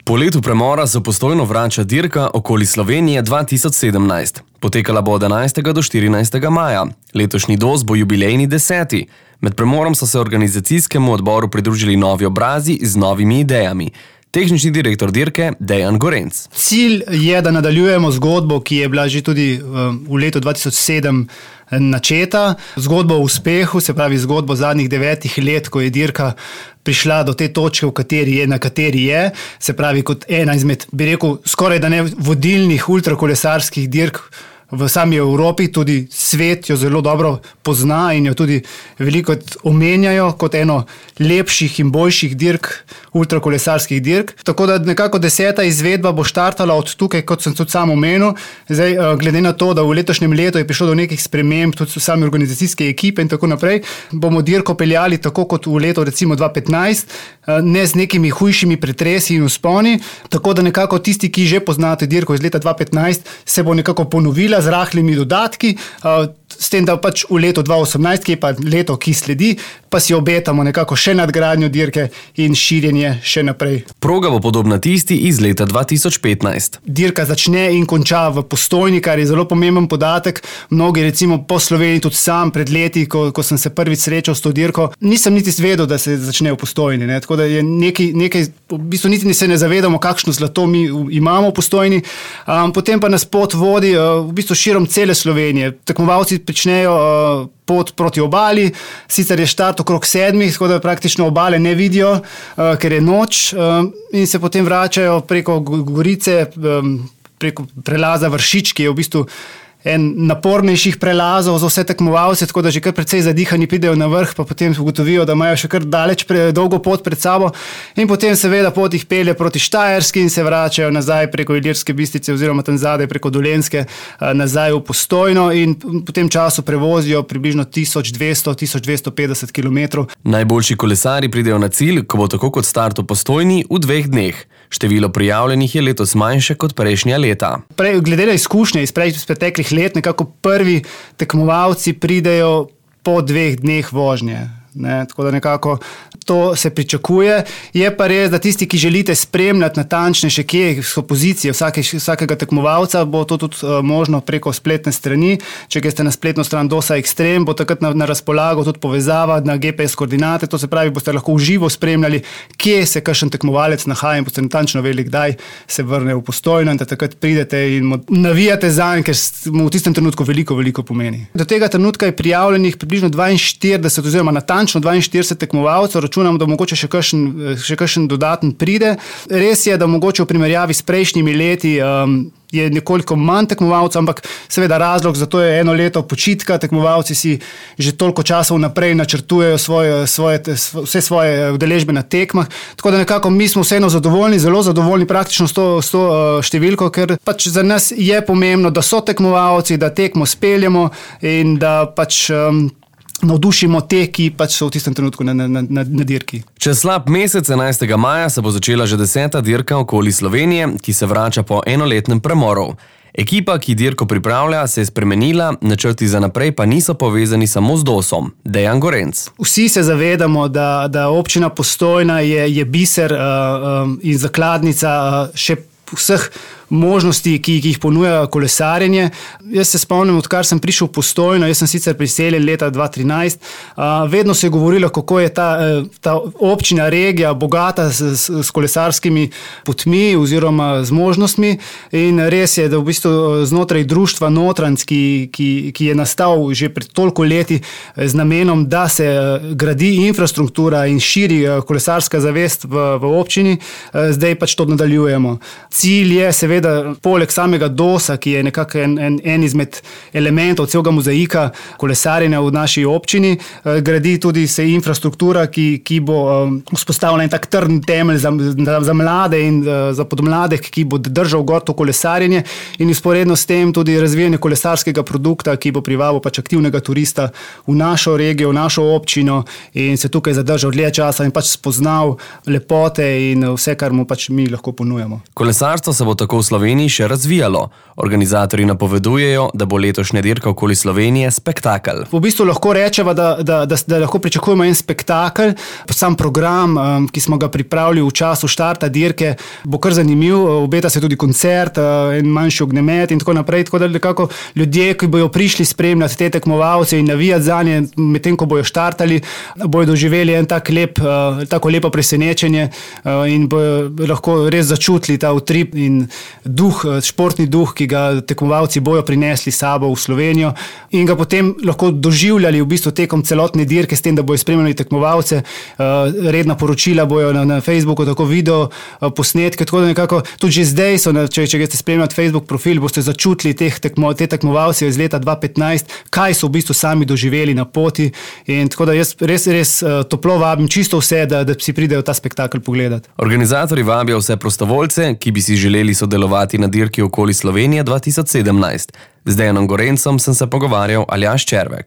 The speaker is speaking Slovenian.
Po letu premora se v Postojno vrača dirka okoli Slovenije 2017. Potekala bo od 11. do 14. maja. Letošnji DOS bo jubilejni 10. Med premorom so se organizacijskemu odboru pridružili novi obrazi z novimi idejami. Tehnični direktor dirke Dejan Gorenc. Cilj je, da nadaljujemo zgodbo, ki je bila že tudi v letu 2007 načeta. Zgodbo o uspehu, se pravi zgodbo zadnjih 9 let, ko je dirka prišla do te točke, na kateri je. Se pravi kot ena izmed, bi rekel, skoraj da ne vodilnih ultrakolesarskih dirk v sami Evropi, tudi svet jo zelo dobro pozna in jo tudi veliko omenjajo kot eno lepših in boljših dirk, ultrakolesarskih dirk. Tako da nekako 10. izvedba bo štartala od tukaj, kot sem tudi sam omenil. Zdaj, glede na to, da v letošnjem letu je prišlo do nekih sprememb, tudi v sami organizacijske ekipe in tako naprej, bomo dirko peljali tako kot v letu recimo 2015, ne z nekimi hujšimi pretresi in vzponi, tako da nekako tisti, ki že poznate dirko iz leta 2015, se bo nekako ponovila z rahlimi dodatki, s tem, da pač v letu 2018, ki je pa leto, ki sledi, pa si obetamo nekako še nadgradnjo dirke in širjenje še naprej. Proga bo podobna tisti iz leta 2015. Dirka začne in konča v Postojni, kar je zelo pomemben podatek. Mnogi recimo po Sloveniji, tudi sam pred leti, ko sem se prvič srečal s to dirko, nisem niti vedel, da se začne v Postojni. Ne? Tako da je nekaj, v bistvu niti se ne zavedamo, kakšno zlato mi imamo v Postojni. Potem pa nas pot vodi v bistvu širom cele Slovenije. Tekmovalci pričnejo pot proti obali, sicer je štart okrog 7, tako da praktično obale ne vidijo, ker je noč, in se potem vračajo preko Gorice, preko prelaza Vršič, ki je v bistvu en napornejših prelazov za vse tekmovalce, tako da že kar precej zadihani pridejo na vrh, pa potem ugotovijo, da imajo še kar dolgo pot pred sabo in potem seveda pot jih pelje proti Štajerski in se vračajo nazaj preko Ilirske Bistrice oziroma tam zadaj preko Dolenjske nazaj v Postojno in po tem času prevozijo približno 1200-1250 km. Najboljši kolesari pridejo na cilj, ko bo tako kot start v Postojni v 2 dneh. Število prijavljenih je letos manjše kot prejšnja leta. Glede na izkušnje iz preteklih let, nekako prvi tekmovalci pridejo po 2 dneh vožnje. Ne, tako da nekako to se pričakuje. Je pa res, da tisti, ki želite spremljati natančne še kje so pozicije vsakega tekmovalca, bo to tudi možno preko spletne strani. Če greste na spletno stran DOS-a Extreme, bo takrat na razpolago tudi povezava na GPS koordinate, to se pravi, boste lahko v živo spremljali, kje se kakšen tekmovalec nahaja in boste natančno vedeli, kdaj se vrne v Postojno in da takrat pridete in navijate zanj, ker mu v tistem trenutku veliko pomeni. Do tega trenutka je prijavljenih približno 42 oziroma natančno 42 tekmovalcev, računamo, da mogoče še kakšen dodaten pride. Res je, da mogoče v primerjavi s prejšnjimi leti je nekoliko manj tekmovalcev, ampak seveda razlog za to je eno leto počitka, tekmovalci si že toliko časa vnaprej načrtujejo vse svoje udeležbe na tekmah, tako da nekako mi smo vseeno zadovoljni, zelo zadovoljni praktično s to številko, ker pač za nas je pomembno, da so tekmovalci, da tekmo speljemo in da pač navdušimo te, ki pač so v tistem trenutku na dirki. Čez slab mesec 11. maja se bo začela že 10. dirka okoli Slovenije, ki se vrača po enoletnem premoru. Ekipa, ki dirko pripravlja, se je spremenila, načrti za naprej pa niso povezani samo z DOS-om. Dejan Gorenc. Vsi se zavedamo, da občina Postojna je biser in zakladnica še vseh možnosti, ki jih ponuja kolesarjenje. Jaz se spomnim, odkar sem prišel v Postojno, jaz sem sicer priseljen leta 2013, vedno se je govorilo, kako je ta občina, regija bogata s kolesarskimi potmi oziroma z možnostmi in res je, da v bistvu znotraj društva Notranc, ki je nastal že pred toliko leti z namenom, da se gradi infrastruktura in širi kolesarska zavest v občini, zdaj pač to nadaljujemo. Cilj je seveda poleg samega DOS-a, ki je nekako en izmed elementov celega mozaika kolesarjenja v naši občini, gradi tudi se infrastruktura, ki bo vzpostavila en tak trden temelj za mlade in za podmladek, ki bo držal gor to kolesarjenje in vzporedno s tem tudi razvijanje kolesarskega produkta, ki bo privabil pač aktivnega turista v našo regijo, v našo občino in se tukaj zadržal dlje časa in pač spoznal lepote in vse, kar mu pač mi lahko ponujamo. Kolesarstvo se bo tako v Sloveniji še razvijalo. Organizatorji napovedujejo, da bo letošnja dirka okoli Slovenije spektakel. V bistvu lahko rečemo, da lahko pričakujemo en spektakel. Sam program, ki smo ga pripravili v času štarta dirke, bo kar zanimiv. Obeta se tudi koncert, en manjši ognjemet in tako naprej. Tako da nekako ljudje, ki bojo prišli spremljati te tekmovalce in navijati zanje, medtem ko bojo štartali, bojo doživeli en tako lepo presenečenje in bojo lahko res začutili ta utrip in duh, športni duh, ki ga tekmovalci bojo prinesli sabo v Slovenijo in ga potem lahko doživljali v bistvu tekom celotne dirke s tem, da bojo spremljali tekmovalce, redna poročila bojo na Facebooku, tako video posnetke, tako da nekako tudi že zdaj so, če greste spremljati Facebook profil, boste začutili te tekmovalce iz leta 2015, kaj so v bistvu sami doživeli na poti in tako da jaz res toplo vabim čisto vse, da si pridejo ta spektakel pogledati. Organizatorji vabijo vse prostovoljce, ki bi si želeli sodelovati na dirki okoli Slovenije 2017. Z Dejanom Gorencem sem se pogovarjal Aljaž Červek.